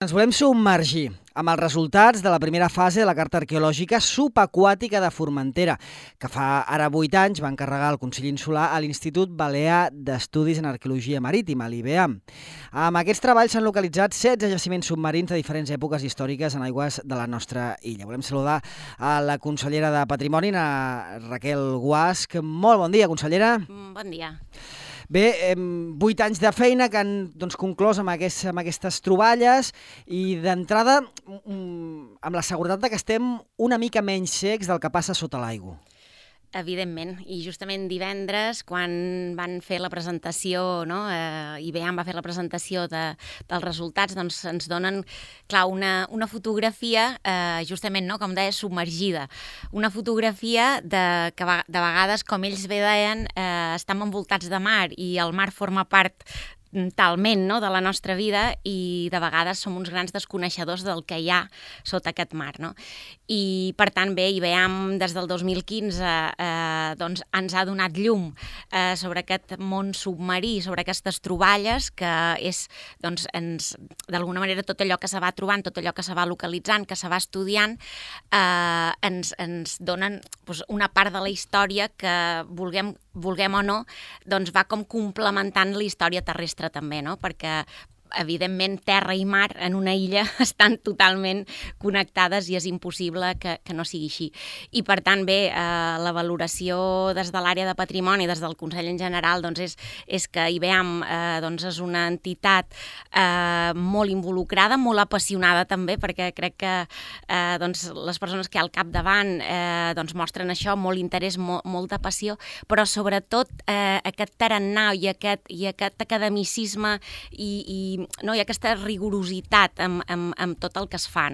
Ens volem submergir amb els resultats de la primera fase de la Carta Arqueològica Subaquàtica de Formentera, que fa ara 8 anys va encarregar el Consell Insular a l'Institut Balear d'Estudis en Arqueologia Marítima, l'IBEAM. Amb aquests treballs s'han localitzat 16 jaciments submarins de diferents èpoques històriques en aigües de la nostra illa. Volem saludar a la consellera de Patrimoni, a Raquel Guasch. Molt bon dia, consellera. Bon dia. Bé, 8 anys de feina que han conclòs amb aquestes troballes i d'entrada amb la seguretat que estem una mica menys secs del que passa sota l'aigua. Evidentment, i justament divendres, quan van fer la presentació, IBEAM va fer la presentació dels resultats, doncs ens donen, clar, una fotografia, justament, com deia, submergida. Una fotografia que de vegades, com ells bé deien, estem envoltats de mar i el mar forma part talment de la nostra vida i de vegades som uns grans desconeixedors del que hi ha sota aquest mar. I per tant, bé, IBEAM des del 2015 ens ha donat llum sobre aquest món submarí, sobre aquestes troballes, que és, d'alguna manera, tot allò que se va trobant, tot allò que se va localitzant, que se va estudiant, ens donen una part de la història que, vulguem o no, va com complementant la història terrestre també, perquè evidentment terra i mar en una illa estan totalment connectades i és impossible que no sigui així. I per tant, bé, la valoració des de l'àrea de patrimoni, des del Consell en general, és que IBEAM és una entitat molt involucrada, molt apassionada també, perquè crec que les persones que hi ha al capdavant mostren això, molt interès, molta passió, però sobretot aquest tarannà i aquest academicisme i aquesta rigorositat amb tot el que es fa,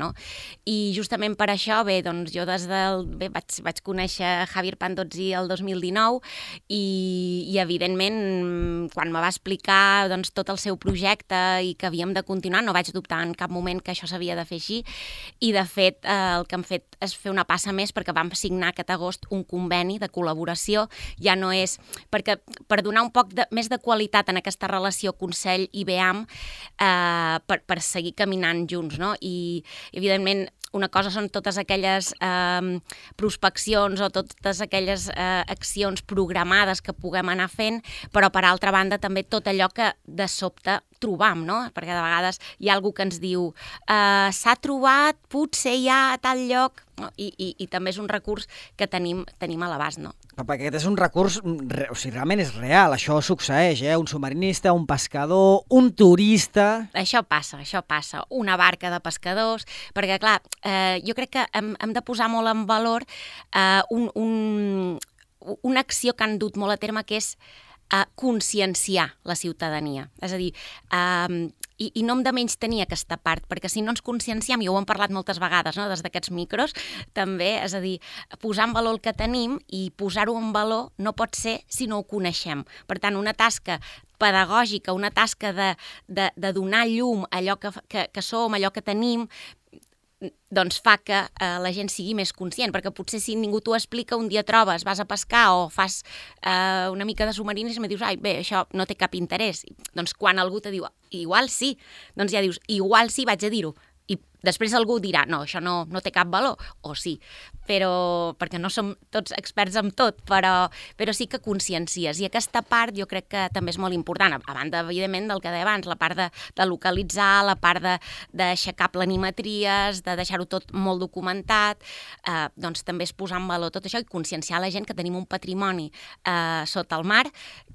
I justament per això, bé, jo vaig conèixer Javier Pandozzi el 2019 i evidentment, quan me va explicar tot el seu projecte i que havíem de continuar, no vaig dubtar en cap moment que això s'havia de fer així i, de fet, el que hem fet és fer una passa més perquè vam signar aquest agost un conveni de col·laboració, ja no és... perquè per donar un poc més de qualitat en aquesta relació Consell-IBEAM, per seguir caminant junts, I evidentment una cosa són totes aquelles prospeccions o totes aquelles accions programades que puguem anar fent, però per altra banda també tot allò que de sobte trobam, perquè de vegades hi ha algú que ens diu s'ha trobat, potser hi ha a tal lloc, i també és un recurs que tenim a l'abast, Perquè aquest és un recurs, realment és real, això succeeix, un submarinista, un pescador, un turista... Això passa, una barca de pescadors, perquè clar, jo crec que hem de posar molt en valor una acció que han dut molt a terme, que és conscienciar la ciutadania. És a dir, i no hem de menys tenir aquesta part, perquè si no ens conscienciem, i ho hem parlat moltes vegades des d'aquests micros, també, és a dir, posar en valor el que tenim i posar-ho en valor no pot ser si no ho coneixem. Per tant, una tasca pedagògica, una tasca de donar llum a allò que som, allò que tenim, doncs fa que la gent sigui més conscient, perquè potser si ningú t'ho explica, un dia trobes, vas a pescar o fas una mica de submarinisme i dius, bé, això no té cap interès. Doncs quan algú te diu, igual sí, doncs ja dius, igual sí, vaig a dir-ho. I després algú dirà, no, això no té cap valor, o sí, perquè no som tots experts en tot, però sí que consciencies. I aquesta part jo crec que també és molt important, a banda, evidentment, del que deia abans, la part de localitzar, la part d'aixecar planimetries, de deixar-ho tot molt documentat, doncs també és posar en valor tot això i conscienciar la gent que tenim un patrimoni sota el mar,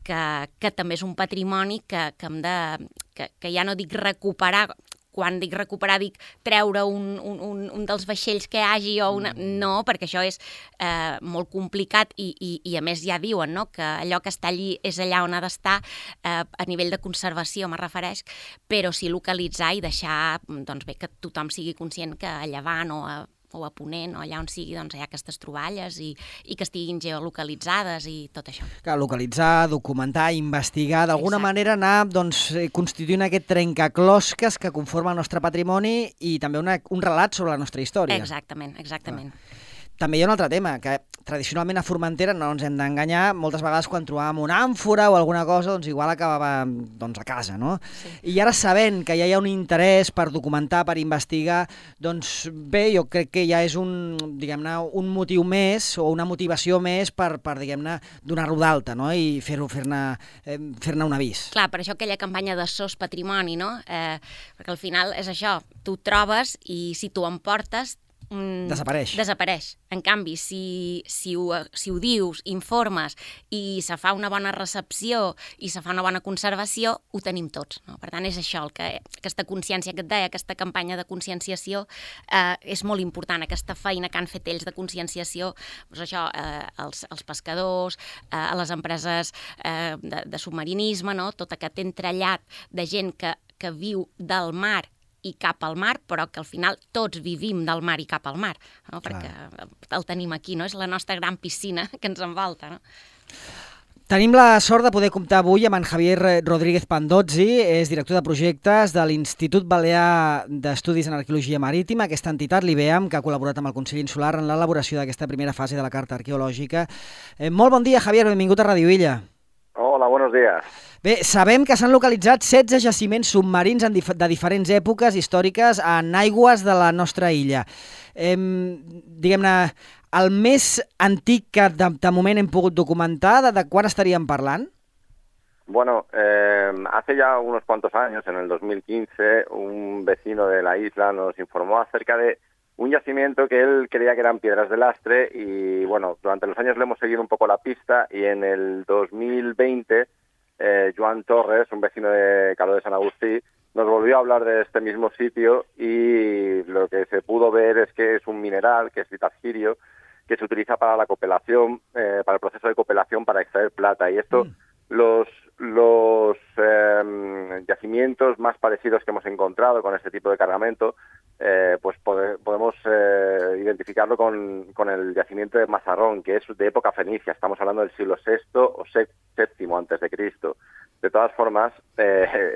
que també és un patrimoni que ja no dic recuperar. Quan dic recuperar, dic treure un dels vaixells que hi hagi o una... No, perquè això és molt complicat i a més ja diuen que allò que està allí és allà on ha d'estar a nivell de conservació, me refereix, però sí localitzar i deixar que tothom sigui conscient que a llevant o a ponent o allà on sigui, hi ha aquestes troballes i que estiguin geolocalitzades i tot això. Clar, localitzar, documentar, investigar, d'alguna manera anar constituint aquest trencaclosques que conforma el nostre patrimoni i també un relat sobre la nostra història. Exactament. també hi ha un altre tema, que tradicionalment a Formentera, no ens hem d'enganyar, moltes vegades quan trobàvem una àmfora o alguna cosa, doncs igual acabava a casa, no? Sí. I ara sabent que ja hi ha un interès per documentar, per investigar, doncs bé, jo crec que ja és un motiu més o una motivació més per diguem-ne, donar-lo d'alta, no? I fer-ne un avís. Clar, per això aquella campanya de SOS Patrimoni, no? Perquè al final és això, tu trobes i si tu emportes desapareix. En canvi, si ho dius, informes i se fa una bona recepció i se fa una bona conservació, ho tenim tots, no? Per tant, és això, aquesta consciència que et deia, aquesta campanya de conscienciació és molt important, aquesta feina que han fet ells de conscienciació, doncs això, als pescadors, a les empreses de submarinisme, no? Tot aquest entrellat de gent que viu del mar i cap al mar, però que al final tots vivim del mar i cap al mar, no? Perquè el tenim aquí, no? És la nostra gran piscina que ens envolta, no? Tenim la sort de poder comptar avui amb en Javier Rodríguez Pandozzi, és director de projectes de l'Institut Balear d'Estudis en Arqueologia Marítima, aquesta entitat, l'IBEAM, que ha col·laborat amb el Consell Insular en l'elaboració d'aquesta primera fase de la Carta Arqueològica. Molt bon dia, Javier, benvingut a Radio Illa. Hola, buenos días. Bé, sabem que s'han localitzat 16 jaciments submarins de diferents èpoques històriques en aigües de la nostra illa. Diguem-ne, el més antic que de moment hem pogut documentar, de quan estaríem parlant? Bueno, hace ya unos cuantos años, en el 2015, un vecino de la isla nos informó acerca de un yacimiento que él creía que eran piedras de lastre y, bueno, durante los años le hemos seguido un poco la pista y en el 2020 Joan Torres, un vecino de Caló de San Agustí, nos volvió a hablar de este mismo sitio y lo que se pudo ver es que es un mineral, que es litargirio, que se utiliza para la copelación, para el proceso de copelación para extraer plata. Y esto, los yacimientos más parecidos que hemos encontrado con este tipo de cargamento, pues podemos identificarlo con el yacimiento de Mazarrón, que es de época fenicia. Estamos hablando del siglo VI o VII antes de Cristo. De todas formas,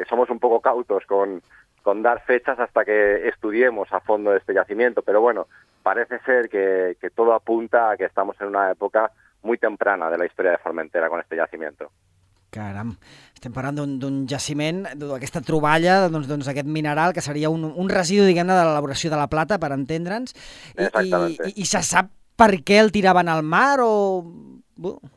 somos un poco cautos con dar fechas hasta que estudiemos a fondo este yacimiento, pero bueno, parece ser que todo apunta a que estamos en una época muy temprana de la historia de Formentera con este yacimiento. Caram, estem parlant d'un jaciment, d'aquesta troballa, doncs aquest mineral, que seria un residu, diguem-ne, de l'elaboració de la plata, per entendre'ns. I se sap per què el tiraven al mar o...?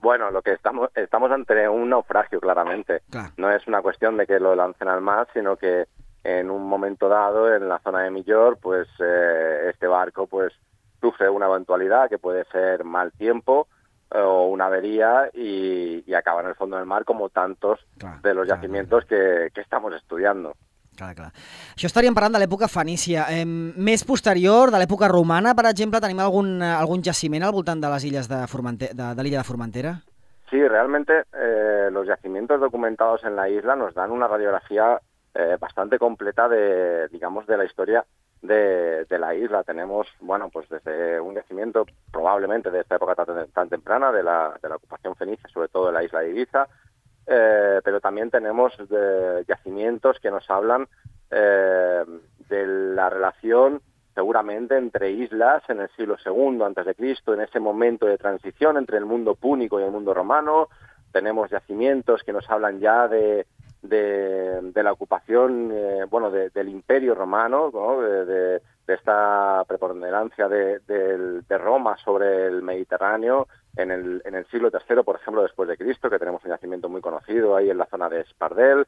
Bueno, lo que estamos ante un naufragio, claramente. Claro. No es una cuestión de que lo lancen al mar, sino que en un momento dado, en la zona de Millor, pues este barco pues sufre una eventualidad que puede ser mal tiempo, o una avería y acaba en el fondo del mar como tantos de los yacimientos que estamos estudiando. Clar. Això estaríem parlant de l'època fenícia. Més posterior, de l'època romana, per exemple, tenim algun jaciment al voltant de les illes de l'illa de Formentera? Sí, realmente los yacimientos documentados en la isla nos dan una radiografía bastante completa de la historia de la isla. Tenemos, bueno, pues desde un yacimiento probablemente de esta época tan temprana, de la ocupación fenicia, sobre todo de la isla de Ibiza, pero también tenemos yacimientos que nos hablan de la relación seguramente entre islas en el siglo II a.C., en ese momento de transición entre el mundo púnico y el mundo romano. Tenemos yacimientos que nos hablan ya de la ocupación del Imperio Romano, ¿no? de esta preponderancia de Roma sobre el Mediterráneo en el siglo III, por ejemplo, después de Cristo, que tenemos un yacimiento muy conocido ahí en la zona de Espardel,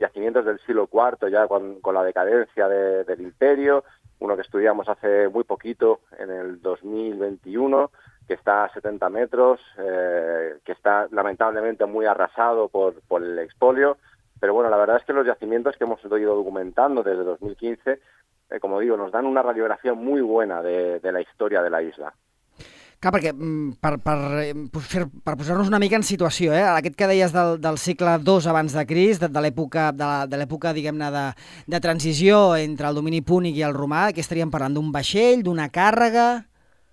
yacimientos del siglo IV ya con la decadencia del Imperio, uno que estudiamos hace muy poquito, en el 2021, que está a 70 metros, que está lamentablemente muy arrasado por el expolio, pero bueno, la verdad es que los yacimientos que hemos ido documentando desde 2015, como digo, nos dan una radiografía muy buena de la historia de la isla. Clar, perquè per posar-nos una mica en situació, aquest que deies del segle II abans de Crist, de l'època, diguem-ne, de transició entre el domini púnic i el romà, que estaríem parlant d'un vaixell, d'una càrrega...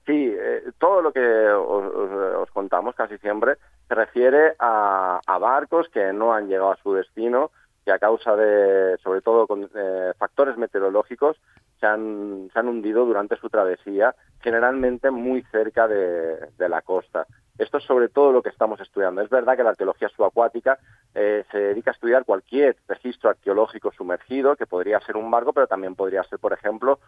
Sí, todo lo que os contamos casi siempre se refiere a barcos que no han llegado a su destino, que a causa de, sobre todo, con factores meteorológicos, se han hundido durante su travesía, generalmente muy cerca de la costa. Esto es sobre todo lo que estamos estudiando. Es verdad que la arqueología subacuática se dedica a estudiar cualquier registro arqueológico sumergido, que podría ser un barco, pero también podría ser, por ejemplo,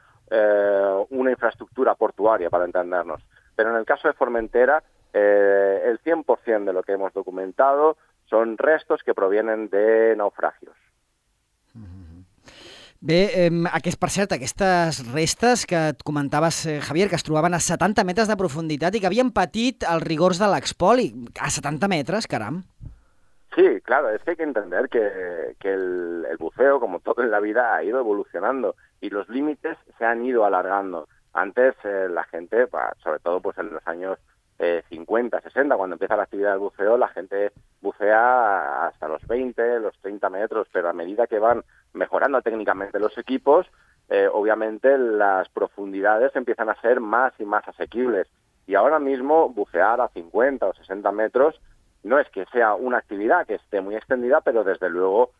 una infraestructura portuaria, para entendernos. Pero en el caso de Formentera, el 100% de lo que hemos documentado son restos que provienen de naufragios. Bé, per cert, aquestes restes que et comentaves, Javier, que es trobaven a 70 metres de profunditat i que havien patit els rigors de l'expoli. A 70 metres, caram. Sí, claro, es que hay que entender que el buceo, como todo en la vida, ha ido evolucionando y los límites se han ido alargando. Antes la gente, sobre todo pues en los años 50, 60, cuando empieza la actividad del buceo, la gente bucea hasta los 20, los 30 metros, pero a medida que van mejorando técnicamente los equipos, obviamente las profundidades empiezan a ser más y más asequibles. Y ahora mismo bucear a 50 o 60 metros no es que sea una actividad que esté muy extendida, pero desde luego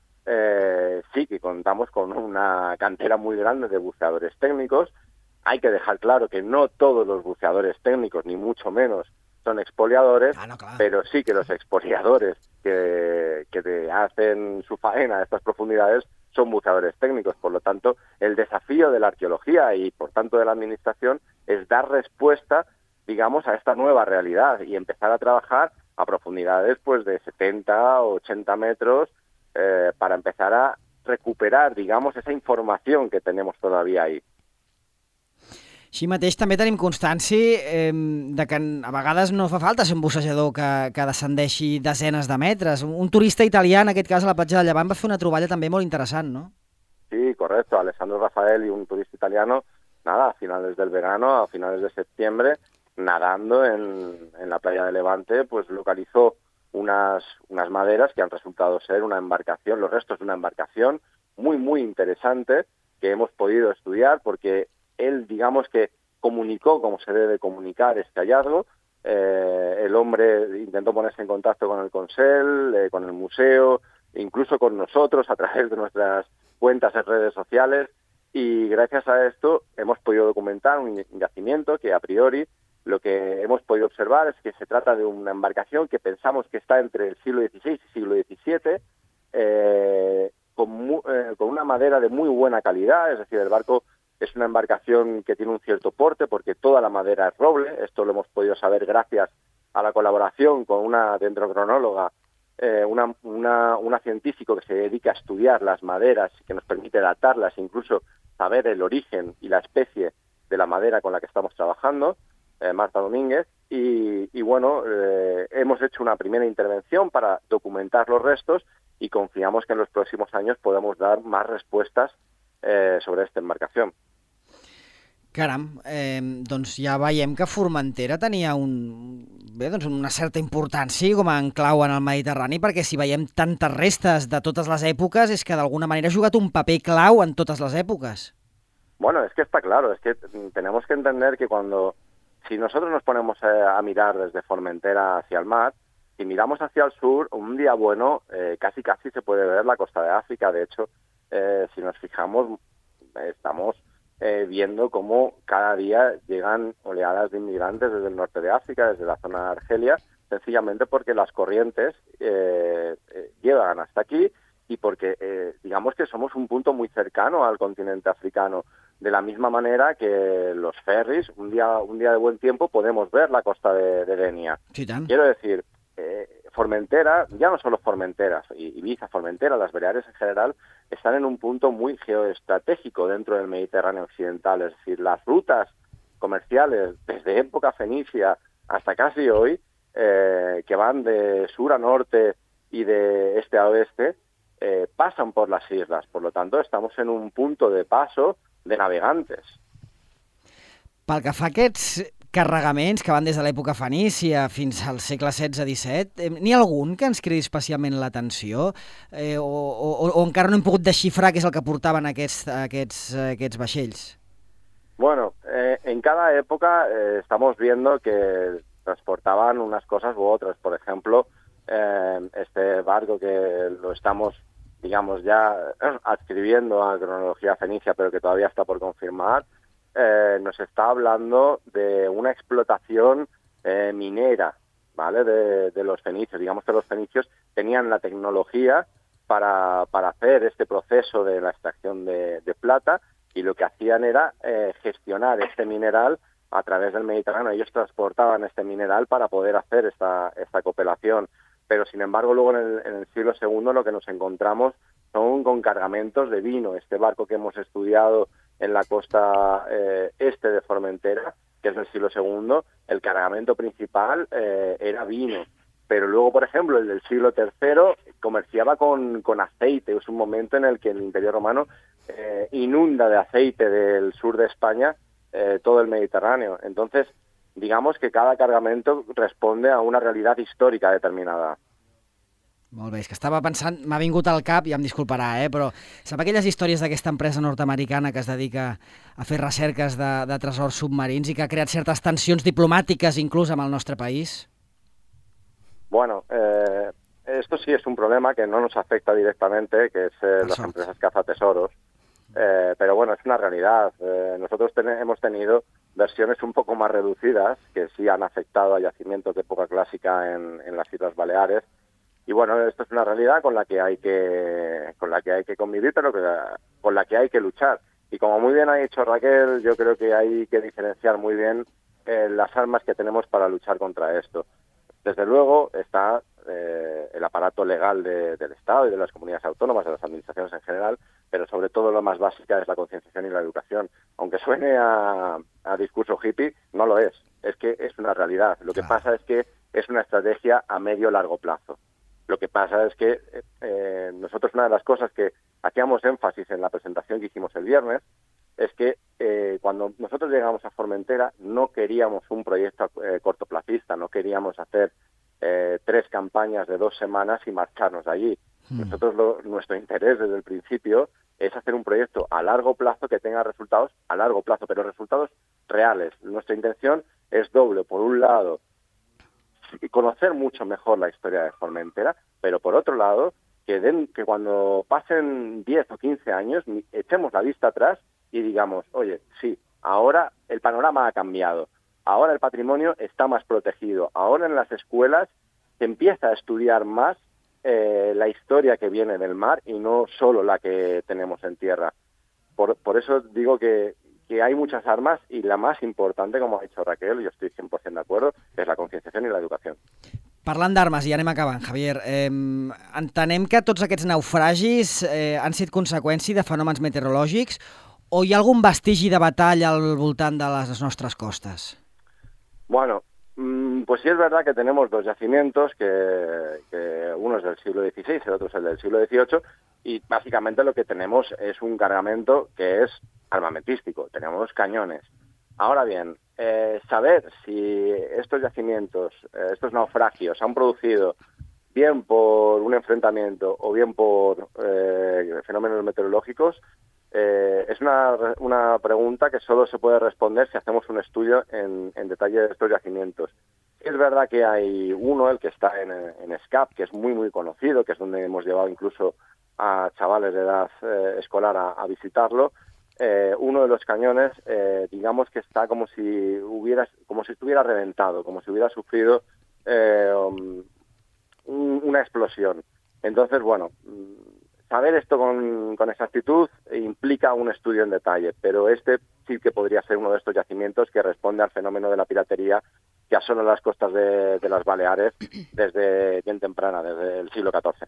sí que contamos con una cantera muy grande de buceadores técnicos. Hay que dejar claro que no todos los buceadores técnicos, ni mucho menos, son expoliadores, pero sí que los expoliadores que hacen su faena a estas profundidades son buceadores técnicos. Por lo tanto, el desafío de la arqueología y, por tanto, de la administración es dar respuesta, digamos, a esta nueva realidad y empezar a trabajar a profundidades pues de 70 o 80 metros para empezar a recuperar, digamos, esa información que tenemos todavía ahí. Així mateix també tenim constància de que a vegades no fa falta ser un bussejador que descendeixi desenes de metres. Un turista italià, en aquest cas a la platja de Llevant, va fer una troballa també molt interessant, ¿no? Sí, correcto. Alessandro Rafael y un turista italiano, a finales del verano, a finales de septiembre, nadando en la playa de Levante, pues localizó unas maderas que han resultado ser una embarcación, los restos de una embarcación muy, muy interesante que hemos podido estudiar porque él, digamos que comunicó como se debe comunicar este hallazgo. El hombre intentó ponerse en contacto con el Consell, con el museo, incluso con nosotros a través de nuestras cuentas en redes sociales, y gracias a esto hemos podido documentar un yacimiento que a priori lo que hemos podido observar es que se trata de una embarcación que pensamos que está entre el siglo XVI y siglo XVII, con una madera de muy buena calidad, es decir, el barco es una embarcación que tiene un cierto porte porque toda la madera es roble. Esto lo hemos podido saber gracias a la colaboración con una dendrocronóloga, una científico que se dedica a estudiar las maderas, que nos permite datarlas, incluso saber el origen y la especie de la madera con la que estamos trabajando, Marta Domínguez. Y bueno, hemos hecho una primera intervención para documentar los restos y confiamos que en los próximos años podamos dar más respuestas sobre esta embarcación. Caram, doncs ja veiem que Formentera tenia una certa importància com a enclau en el Mediterrani, perquè si veiem tantes restes de totes les èpoques és que d'alguna manera ha jugat un paper clau en totes les èpoques. Bueno, es que está claro, es que tenemos que entender que si nosotros nos ponemos a mirar desde Formentera hacia el mar, si miramos hacia el sur, un día bueno, casi se puede ver la costa de África. De hecho, si nos fijamos, estamos viendo cómo cada día llegan oleadas de inmigrantes desde el norte de África, desde la zona de Argelia, sencillamente porque las corrientes llegan hasta aquí y porque digamos que somos un punto muy cercano al continente africano. De la misma manera que los ferries, un día de buen tiempo podemos ver la costa de Denia. Sí, quiero decir, Formentera, ya no solo Formentera, Ibiza, Formentera, las Baleares en general, están en un punto muy geoestratégico dentro del Mediterráneo occidental. Es decir, las rutas comerciales desde época fenicia hasta casi hoy, que van de sur a norte y de este a oeste, pasan por las islas. Por lo tanto, estamos en un punto de paso de navegantes. Pel que fa a aquests carregaments que van des de l'època fenícia fins al segle XVI-XVII, n'hi ha algun que ens cridi especialment l'atenció o encara no hem pogut desxifrar què és el que portaven aquests vaixells? Bueno, en cada época estamos viendo que transportaban unas cosas u otras. Por ejemplo, este barco que lo estamos, digamos, ya adscribiendo a cronología fenicia, pero que todavía está por confirmar, nos está hablando de una explotación minera, ¿vale? De los fenicios. Digamos que los fenicios tenían la tecnología para hacer este proceso de la extracción de plata, y lo que hacían era gestionar este mineral a través del Mediterráneo. Ellos transportaban este mineral para poder hacer esta cooperación. Pero, sin embargo, luego en el siglo II lo que nos encontramos son con cargamentos de vino. Este barco que hemos estudiado en la costa este de Formentera, que es del siglo II, el cargamento principal era vino. Pero luego, por ejemplo, el del siglo III comerciaba con aceite. Es un momento en el que el Imperio Romano inunda de aceite del sur de España todo el Mediterráneo. Entonces, digamos que cada cargamento responde a una realidad histórica determinada. Molt bé, és que estava pensant, m'ha vingut al cap, ja em disculparà, però sap aquelles històries d'aquesta empresa nord-americana que es dedica a fer recerques de tresors submarins i que ha creat certes tensions diplomàtiques inclús amb el nostre país? Bueno, esto sí es un problema que no nos afecta directamente, que es las empresas cazatesoros, pero bueno, es una realidad. Nosotros hemos tenido versiones un poco más reducidas que sí han afectado a yacimientos de época clásica en las Islas Baleares. Y bueno, esto es una realidad con la que hay que convivir, pero con la que hay que luchar. Y como muy bien ha dicho Raquel, yo creo que hay que diferenciar muy bien las armas que tenemos para luchar contra esto. Desde luego está el aparato legal del Estado y de las comunidades autónomas, de las administraciones en general, pero sobre todo lo más básica es la concienciación y la educación. Aunque suene a discurso hippie, no lo es. Es que es una realidad. Lo que pasa es que es una estrategia a medio-largo plazo. Lo que pasa es que nosotros, una de las cosas que hacíamos énfasis en la presentación que hicimos el viernes, es que cuando nosotros llegamos a Formentera no queríamos un proyecto cortoplacista, no queríamos hacer 3 campañas de 2 semanas y marcharnos de allí. Nosotros nuestro interés desde el principio es hacer un proyecto a largo plazo que tenga resultados a largo plazo, pero resultados reales. Nuestra intención es doble. Por un lado, conocer mucho mejor la historia de Formentera, pero por otro lado, que cuando pasen 10 o 15 años, echemos la vista atrás y digamos, oye, sí, ahora el panorama ha cambiado, ahora el patrimonio está más protegido, ahora en las escuelas se empieza a estudiar más la historia que viene del mar y no solo la que tenemos en tierra. Por eso digo que hay muchas armas y la más importante, como ha dicho Raquel, yo estoy 100% de acuerdo, es la concienciación i l'educació. Parlant d'armes, i anem acabant, Javier, entenem que tots aquests naufragis han sigut conseqüència de fenòmens meteorològics o hi ha algun vestigi de batalla al voltant de les nostres costes? Bueno, pues sí es verdad que tenemos 2 yacimientos, que uno es del siglo XVI, el otro es el del siglo XVIII, y básicamente lo que tenemos es un cargamento que es armamentístico, tenemos cañones. Ahora bien, saber si estos yacimientos, estos naufragios han producido bien por un enfrentamiento o bien por fenómenos meteorológicos, es una pregunta que solo se puede responder si hacemos un estudio en detalle de estos yacimientos. Es verdad que hay uno, el que está en Escap, que es muy muy conocido, que es donde hemos llevado incluso a chavales de edad escolar a visitarlo. Uno de los cañones, digamos que está como si estuviera reventado, como si hubiera sufrido una explosión. Entonces, bueno, saber esto con exactitud implica un estudio en detalle, pero este sí que podría ser uno de estos yacimientos que responde al fenómeno de la piratería que asola las costas de las Baleares desde bien temprana, desde el siglo XIV.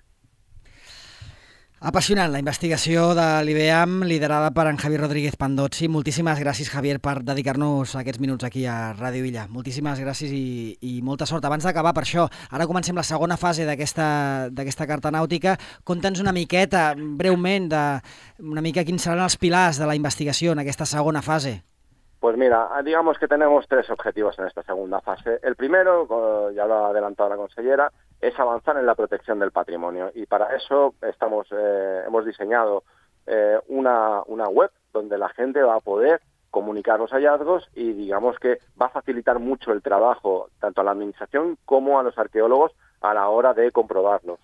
Apassionant, la investigació de l'IBEAM liderada per en Javier Rodríguez Pandozzi. Moltíssimes gràcies, Javier, per dedicar-nos aquests minuts aquí a Ràdio Illa. Moltíssimes gràcies i molta sort. Abans d'acabar, per això, ara comencem la segona fase d'aquesta carta nàutica. Conta'ns una miqueta, breument, una mica quins seran els pilars de la investigació en aquesta segona fase. Pues mira, digamos que tenemos 3 objetivos en esta segunda fase. El primero, ya lo ha adelantado la consellera, es avanzar en la protección del patrimonio, y para eso hemos diseñado una web donde la gente va a poder comunicar los hallazgos y digamos que va a facilitar mucho el trabajo tanto a la administración como a los arqueólogos a la hora de comprobarlos.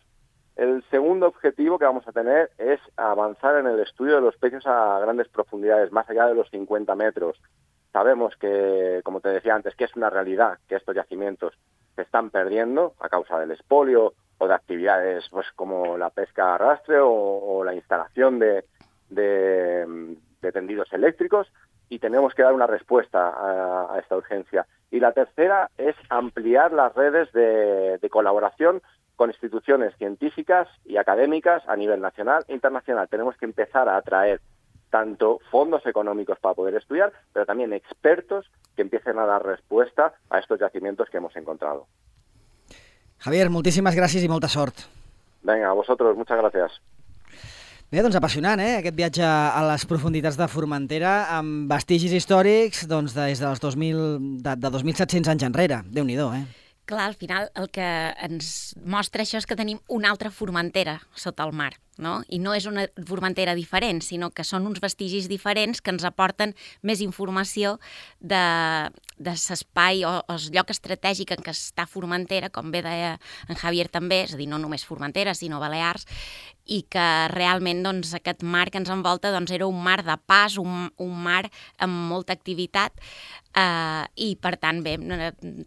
El segundo objetivo que vamos a tener es avanzar en el estudio de los peces a grandes profundidades, más allá de los 50 metros. Sabemos que, como te decía antes, que es una realidad que estos yacimientos se están perdiendo a causa del expolio o de actividades pues como la pesca a arrastre o la instalación de tendidos eléctricos, y tenemos que dar una respuesta a esta urgencia. Y la tercera es ampliar las redes de colaboración con instituciones científicas y académicas a nivel nacional e internacional. Tenemos que empezar a atraer tanto fondos económicos para poder estudiar, pero también expertos que empiecen a dar respuesta a estos yacimientos que hemos encontrado. Javier, moltíssimes gràcies i molta sort. Venga, a vosotros, muchas gracias. Bé, doncs apassionant, aquest viatge a les profunditats de Formentera amb vestigis històrics des de 2.700 anys enrere. Déu-n'hi-do, Clar, al final el que ens mostra això és que tenim una altra Formentera sota el mar, no? I no és una Formentera diferent, sinó que són uns vestigis diferents que ens aporten més informació de l'espai o el lloc estratègic en què està Formentera, com bé deia en Javier també, és a dir, no només Formentera, sinó Balears, i que realment doncs, aquest mar que ens envolta doncs, era un mar de pas, un mar amb molta activitat, i per tant, bé,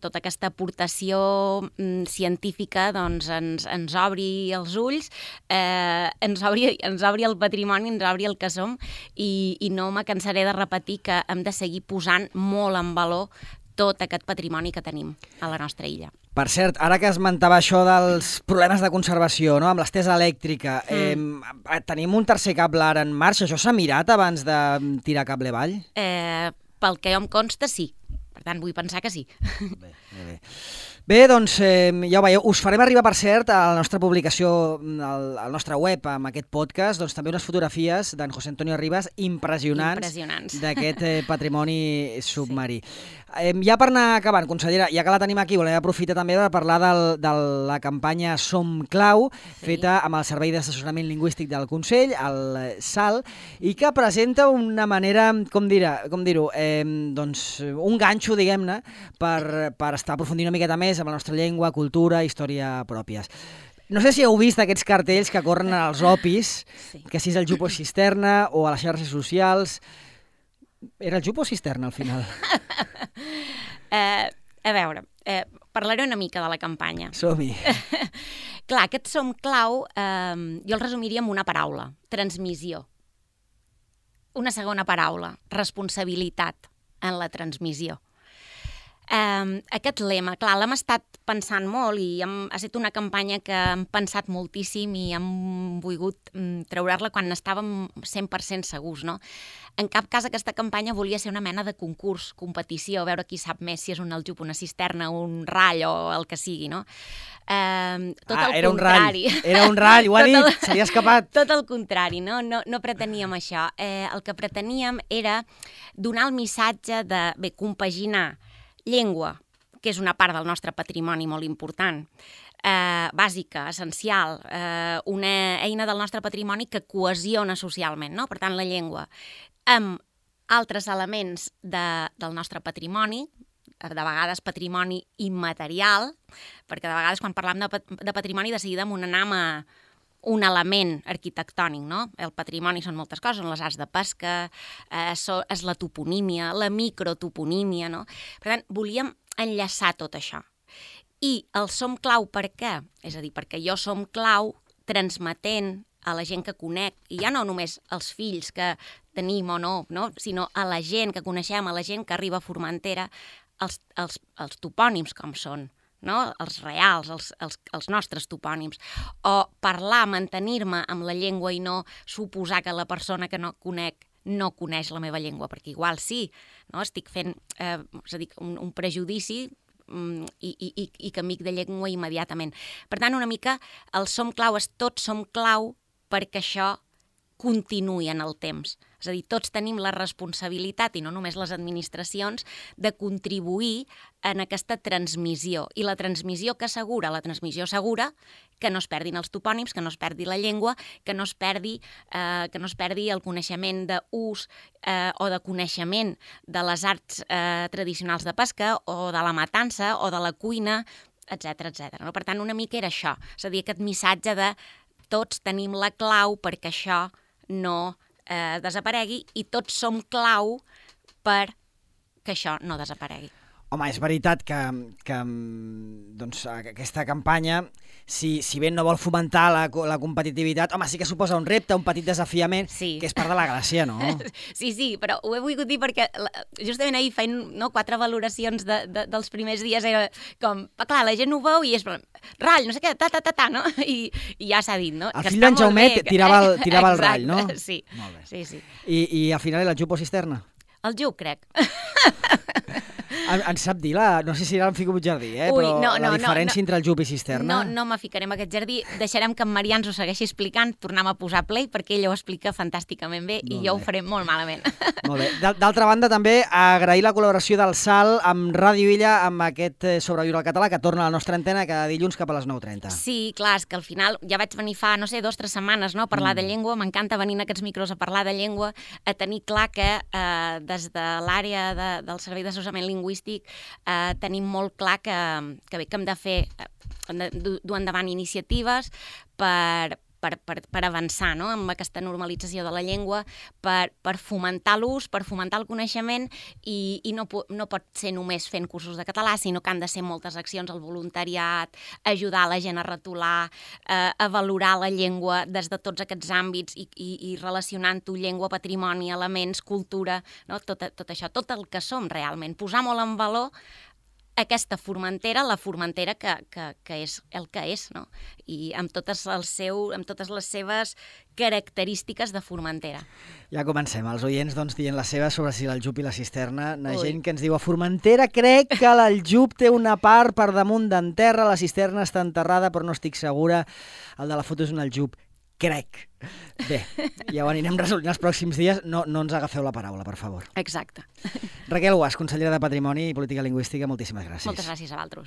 tota aquesta aportació científica doncs, ens obri els ulls, ens obri el patrimoni, ens obri el que som, i no me cansaré de repetir que hem de seguir posant molt en valor tot aquest patrimoni que tenim a la nostra illa. Per cert, ara que esmentava això dels problemes de conservació, no?, amb l'estesa elèctrica, tenim un tercer cable ara en marxa. Això s'ha mirat abans de tirar cable avall? Pel que jo em consta, sí. Per tant, vull pensar que sí. Bé, doncs, ja ho veieu, us farem arribar, per cert, a la nostra publicació, al nostre web, amb aquest podcast, doncs també unes fotografies d'en José Antonio Ribas impressionants d'aquest patrimoni submarí. Ja per anar acabant, consellera, ja que la tenim aquí, volem aprofitar també per parlar de la campanya Som Clau, feta amb el Servei d'Assessorament Lingüístic del Consell, el SAL, i que presenta una manera, com dir-ho, doncs un ganxo, diguem-ne, per estar aprofundint una miqueta més amb la nostra llengua, cultura, història pròpies. No sé si heu vist aquests cartells que corren als opis, que si és el Jupo Cisterna o a les xarxes socials. Era el Jupo Cisterna, al final? A veure, parlaré una mica de la campanya. Som-hi. Clar, aquest Som Clau jo el resumiria amb una paraula: transmissió. Una segona paraula: responsabilitat en la transmissió. Aquest lema, clar, l'hem estat pensant molt i ha estat una campanya que hem pensat moltíssim i hem volgut treure-la quan estàvem 100% segurs, no? En cap cas aquesta campanya volia ser una mena de concurs, competició, a veure qui sap més, si és un aljub, una cisterna, un rall o el que sigui, no? Tot el contrari. Era un rall, ho ha dit, se li ha escapat. Tot el contrari, no preteníem això. El que preteníem era donar el missatge de, bé, compaginar llengua, que és una part del nostre patrimoni molt important, bàsica, essencial, una eina del nostre patrimoni que cohesiona socialment, no? Per tant, la llengua, amb altres elements del nostre patrimoni, de vegades patrimoni immaterial, perquè de vegades quan parlem de patrimoni de seguida n'anem a un element arquitectònic, no? El patrimoni són moltes coses, són les arts de pesca, és la toponímia, la microtoponímia, no? Per tant, volíem enllaçar tot això. I el Som Clau per què? És a dir, perquè jo som clau transmetent a la gent que conec, i ja no només als fills que tenim o no, sinó a la gent que coneixem, a la gent que arriba a Formentera, els topònims com són, no? Els reals, els nostres topònims, o parlar, mantenir-me amb la llengua i no suposar que la persona que no conec no coneix la meva llengua, perquè igual sí, no? Estic fent és a dir, un prejudici i que amic de llengua immediatament. Per tant, una mica el Som Clau és tots som clau perquè això continuï en el temps. És a dir, tots tenim la responsabilitat, i no només les administracions, de contribuir en aquesta transmissió. I la transmissió que assegura? La transmissió assegura que no es perdin els topònims, que no es perdi la llengua, que no es perdi el coneixement d'ús o de coneixement de les arts tradicionals de pesca o de la matança o de la cuina etcètera, etcètera. No? Per tant, una mica era això, és a dir, aquest missatge de tots tenim la clau perquè això no desaparegui i tots som clau per que això no desaparegui. Home, és veritat que doncs, aquesta campanya, si bé no vol fomentar la competitivitat, home, sí que suposa un repte, un petit desafiament, sí, que és part de la gràcia, no? Sí, però ho he volgut dir perquè justament ahir feien 4 valoracions dels primers dies, era com, clar, la gent ho veu i és rall, no sé què, no? I ja s'ha dit, no? El fill d'en Jaumet tirava el rall, no? Sí. Molt bé. Sí. I al final el jup o cisterna? El jup, crec. Ens sap dir, no sé si ara em fico en un jardí, però la diferència entre el jup i cisterna... No me ficarem a aquest jardí, deixarem que en Marià ens ho segueixi explicant, tornem a posar play, perquè ella ho explica fantàsticament bé i jo ho faré molt malament. Molt bé. D'altra banda, també agrair la col·laboració del Sal amb Ràdio Illa, amb aquest Sobreviure al català, que torna a la nostra antena cada dilluns cap a les 9:30. Sí, clar, és que al final ja vaig venir fa, 2 o 3 setmanes, no?, a parlar de llengua, m'encanta venir en aquests micros a parlar de llengua, a tenir clar que des de l'àrea del Servei d'Assessorament Lingüístic tenim molt clar que hem de fer, hem de dur endavant iniciatives per avançar, no?, amb aquesta normalització de la llengua, per fomentar l'ús, per fomentar el coneixement i no pot ser només fent cursos de català, sinó que han de ser moltes accions, el voluntariat, ajudar la gent a retolar, a valorar la llengua des de tots aquests àmbits i relacionant-ho llengua, patrimoni, elements, cultura, no?, tot això, tot el que som realment, posar molt en valor aquesta Formentera, la Formentera que és el que és, no? I amb totes les seves característiques de Formentera. Ja comencem, els oients dient les seves sobre si el jup i la cisterna. Gent que ens diu, a Formentera crec que el jup té una part per damunt d'en terra, la cisterna està enterrada, però no estic segura. El de la foto és un aljup. Crec. Bé, ja ho anirem resolent els pròxims dies. No ens agafeu la paraula, per favor. Exacte. Raquel Guas, consellera de Patrimoni i Política Lingüística, moltíssimes gràcies. Moltes gràcies a vosaltres.